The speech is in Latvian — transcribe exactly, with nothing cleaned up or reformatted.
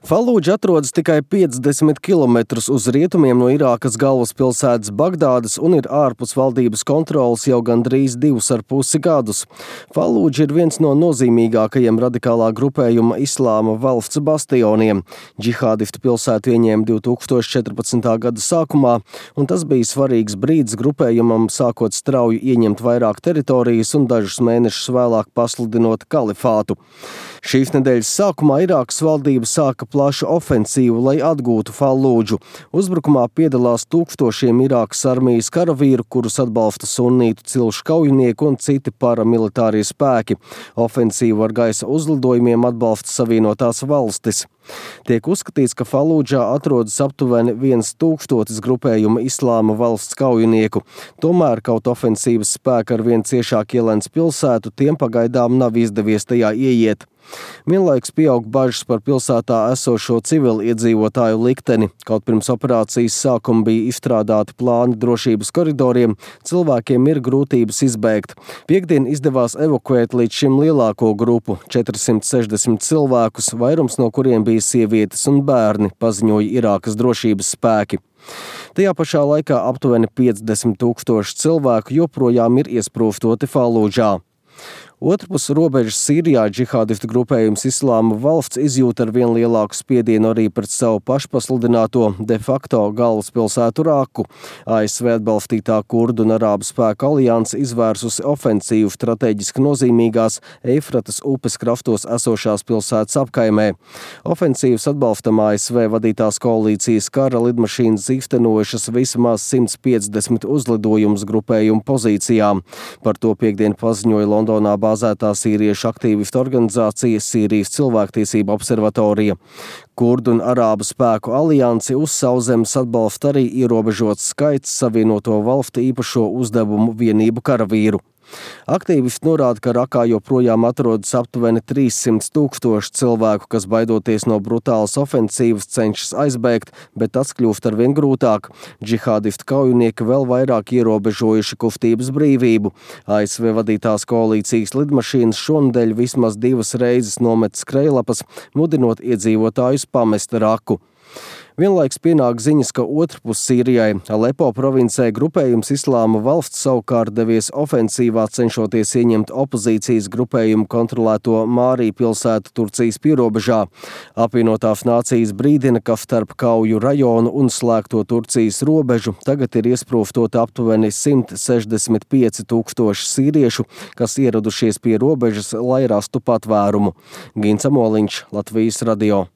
Falūdža atrodas tikai piecdesmit kilometrus uz rietumiem no Irākas galvaspilsētas Bagdādas un ir ārpus valdības kontroles jau gandrīz divus ar pusi gadus. Falūdža ir viens no nozīmīgākajiem radikālā grupējuma Islāma valsts bastioniem. Džihādisti pilsētu ieņēma divi tūkstoši četrpadsmitā gada sākumā, un tas bija svarīgs brīdis grupējumam sākot strauji ieņemt vairāk teritorijas un dažus mēnešus vēlāk pasludinot kalifātu. Šīs nedēļas sākumā Irākas valdība sāka plašu ofensīvu, lai atgūtu Falūdžu. Uzbrukumā piedalās tūkstošiem Irākas armijas karavīru, kurus atbalsta sunnītu cilšu kaujinieku un citi paramilitārie spēki. Ofensīvu ar gaisa uzlidojumiem atbalsta Savienotās valstis. Tiek uzskatīts, ka Falūdžā atrodas aptuveni viens tūkstotis grupējuma Islāma valsts kaujinieku. Tomēr, kaut ofensīvas spēki ar vien ciešāk ielēns pilsētu, tiem pagaidām nav izdevies tajā ieiet. Vienlaikus pieaug bažas par pilsētā esošo civiliedzīvotāju likteni. Kaut pirms operācijas sākuma bija izstrādāti plāni drošības koridoriem, cilvēkiem ir grūtības izbēgt. Piektdien izdevās evakuēt līdz šim lielāko grupu – četrsimt sešdesmit cilvēkus, vairums no kuriem bija sievietes un bērni, paziņoja Irākas drošības spēki. Tajā pašā laikā aptuveni piecdesmit tūkstoši cilvēku joprojām ir iesprūstoti Falūdžā. Otrpus robežas Sīrijā džihādistu grupējums Islāma valsts izjūt ar vien lielāku spiedienu arī pret savu pašpasludināto de facto galvaspilsētu Raku. A S V atbalstītā kurdu un arābu spēku alianse izvērsusi ofensīvu strateģiski nozīmīgās Eifratas upes krastos esošās pilsētas apkaimē. Ofensīvas atbalstam A S V vadītās koalīcijas kara lidmašīnas īstenojušas vismaz simt piecdesmit uzlidojumus grupējumu pozīcijām. Par to piektdien paziņoja Londonā bāzētā sīriešu aktīvistu organizācija Sīrijas cilvēktiesību observatorija. Kurdu un arābu spēku aliansi uz sauszemes atbalsta arī ierobežots skaits Savienoto valstu īpašo uzdevumu vienību karavīru. Aktīvisti norāda, ka Rakā joprojām atrodas aptuveni trīssimt tūkstoši cilvēku, kas baidoties no brutālas ofensīvas cenšas aizbēgt, bet tas kļūst arvien grūtāk. Džihādistu kaujinieki vēl vairāk ierobežojuši kustības brīvību. A S V vadītās koalīcijas lidmašīnas šonedēļ vismaz divas reizes nomet skrejlapas, mudinot iedzīvotājus pamest Raku. Vienlaiks pienāk ziņas, ka otrpus Sīrijai, Alepo provincē, grupējums Islāma valsts savukārt devies ofensīvā, cenšoties ieņemt opozīcijas grupējumu kontrolēto Mārī pilsētu Turcijas pierobežā. Apvienotās nācijas brīdina, ka starp Kauju rajonu un slēgto Turcijas robežu tagad ir iesprūstoti aptuveni simt sešdesmit pieci tūkstoši sīriešu, kas ieradušies pie robežas, lai rastu patvērumu. Gins Amoliņš, Latvijas radio.